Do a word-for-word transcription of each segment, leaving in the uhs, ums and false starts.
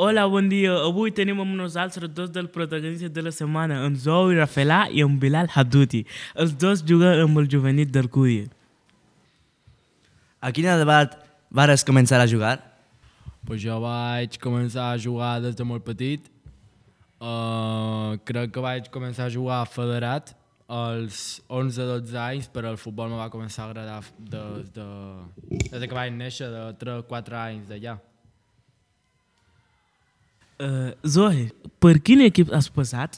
Hola, bon dia. Avui tenim amb nosaltres dos dels protagonistes de la setmana, en Zou Rafelà i en Bilal Hadouti. Els dos juguen amb el juvenil del Cudi. A quina edat vares començar a jugar? Pues jo vaig començar a jugar des de molt petit. Uh, crec que vaig començar a jugar federat als onze dotze anys, però el futbol me va començar a agradar des de, des de que vaig néixer, de tres quatre anys d'allà. Uh, Zoe, per quin equip has passat?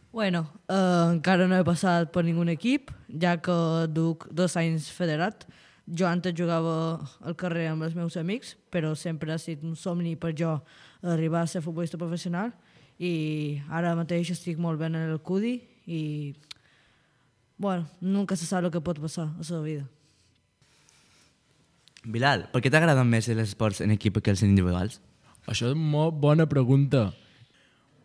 Bueno, eh, encara no he passat per ningun equip, ja que duc dos anys federat. Jo antes jugava al carrer amb els meus amics, però sempre ha estat un somni per jo arribar a ser futbolista professional i ara mateix estic molt bé en el Cudi i, bueno, nunca se sap el que pot passar a la vida. Bilal, per què t'agraden més els esports en equip que els individuals? Això és molt bona pregunta.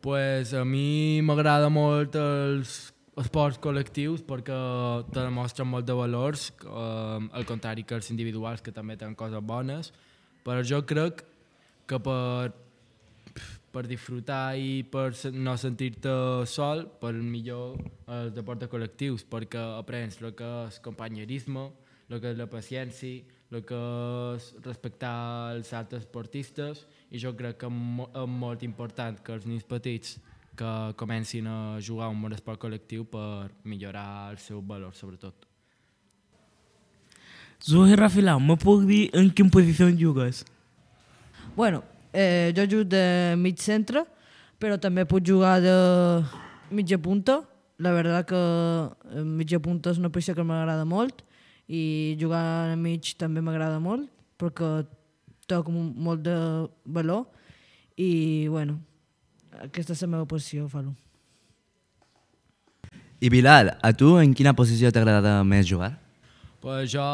Pues a mi m'agrada molt els esports col·lectius perquè te demostren molt de valors, eh, al contrari que els individuals, que també tenen coses bones, però jo crec que per, per disfrutar i per no sentir-te sol, per millor els deportes col·lectius, perquè aprens el que és companyerisme, el que és la paciència, el que és respectar els altres esportistes, i jo crec que és molt important que els nens petits que comencin a jugar un bon esport col·lectiu per millorar els seus valors, sobretot. Zoe Rafelà, me puc dir en quina posició jugues? Bueno, eh, jo jugo de mig centre, però també puc jugar de mitja punta. La veritat que mitja punta és una posició que m'agrada molt i jugar a mig també m'agrada molt perquè toco molt de valor i, bueno, aquesta és la meva posició, Falo. I Bilal, a tu en quina posició t'agrada més jugar? Pues jo,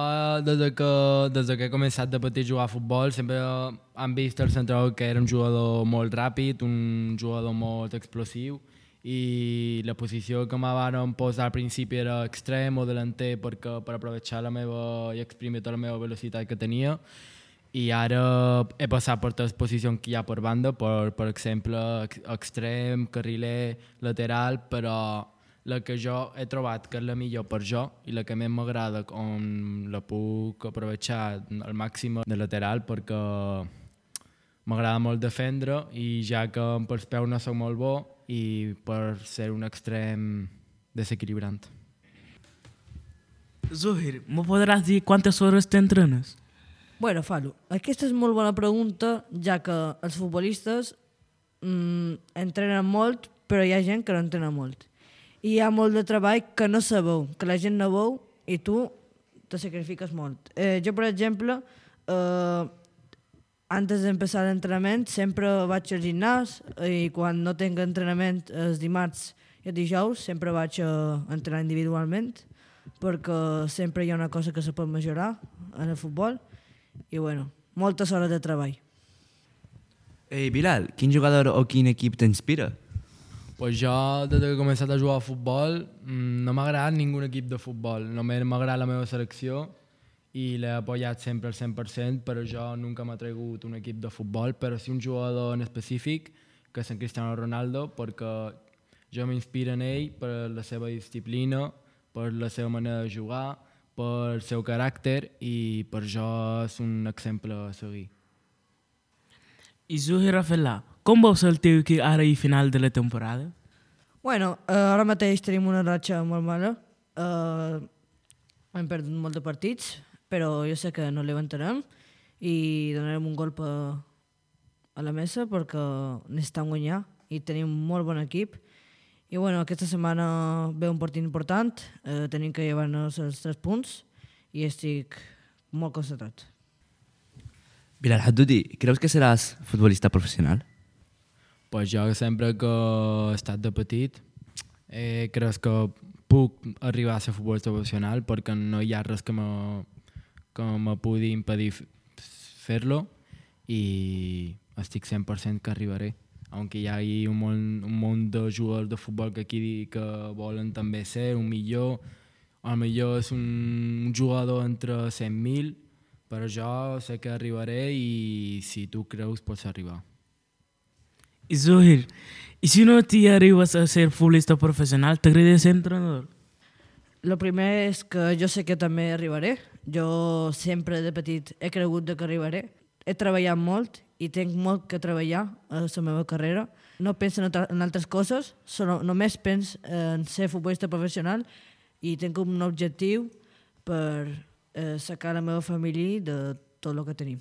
des de, que, des de que he començat de petit a jugar a futbol, sempre hem vist el central que era un jugador molt ràpid, un jugador molt explosiu, i la posició que me van posar al principi era extrem o delanter perquè, per aprovechar la meva i exprimir tota la meva velocitat que tenia. I ara he passat per totes les posicions que hi ha per banda, per, per exemple, extrem, carriler, lateral, però la que jo he trobat que és la millor per jo i la que més m'agrada, on la puc aprovechar al màxim de lateral, perquè m'agrada molt defendre i ja que per els peus no soc molt bo i per ser un extrem desequilibrant. Zohir, me podràs dir quantes hores t'entrenes? Bueno, Falo, aquesta és molt bona pregunta, ja que els futbolistes mm, entrenen molt, però hi ha gent que no entrena molt. I hi ha molt de treball que no se veu, que la gent no veu i tu te sacrifiques molt. Eh, jo, per exemple, eh, antes d'empezar l'entrenament sempre vaig al gimnàs i quan no tinc entrenament els dimarts i els dijous sempre vaig a entrenar individualment perquè sempre hi ha una cosa que se pot millorar en el futbol i, bueno, moltes hores de treball. Ei, Bilal, quin jugador o quin equip t'inspira? Pues jo, des que he començat a jugar a futbol, no m'ha agradat ningú equip de futbol. Només m'ha agradat la meva selecció i l'he apoyat sempre al cent per cent, però jo nunca m'ha tregut un equip de futbol, però sí un jugador en específic, que és en Cristiano Ronaldo, perquè jo m'inspiro en ell per la seva disciplina, per la seva manera de jugar, per el seu caràcter i per jo és un exemple a seguir. I Zohir Rafelà, com veus el teu equip ara i final de la temporada? Bueno, eh, ara mateix tenim una ratxa molt mala. Eh, hem perdut molts de partits, però jo sé que no levantarem i donarem un golpe a la mesa perquè necessitem guanyar i tenim un molt bon equip. I, bueno, aquesta setmana ve un partit important, eh, tenim que llevar-nos els tres punts i estic molt concentrat. Bilal Hadouti, creus que seràs futbolista professional? Pues jo sempre que he estat de petit eh, crec que puc arribar a ser futbolista professional perquè no hi ha res que me, que me pugui impedir fer-lo i estic cent per cent que arribaré. Aunque hi hagi un munt, un munt de jugadors de futbol que aquí que volen també ser un millor, o millor és un jugador entre cent mil, però jo sé que arribaré i si tu creus pots arribar. I Zohir, i si no t'hi arribes a ser futbolista professional, t'agradaria ser entrenador? El primer és que jo sé que també arribaré. Jo sempre de petit he cregut que arribaré. He treballat molt i tinc molt que treballar a la meva carrera. No penso en, en altres coses, solo, només penso en ser futbolista professional i tinc un objectiu per eh, sacar la meva família de tot el que tenim.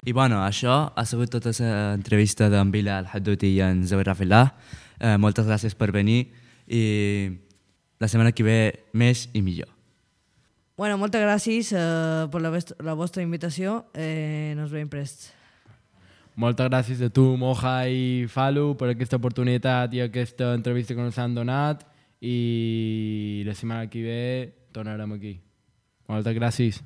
I bueno, això ha sigut tota l'entrevista d'en Bilal Hadouti i en Zohir Rafelah. Eh, moltes gràcies per venir i la setmana que ve més i millor. Bueno, moltes gràcies eh, per la, la vostra invitació. Eh, nos veiem prest. Moltes gràcies a tu, Moja i Falu, per aquesta oportunitat i aquesta entrevista que ens han donat i la setmana que ve tornarem aquí. Moltes gràcies.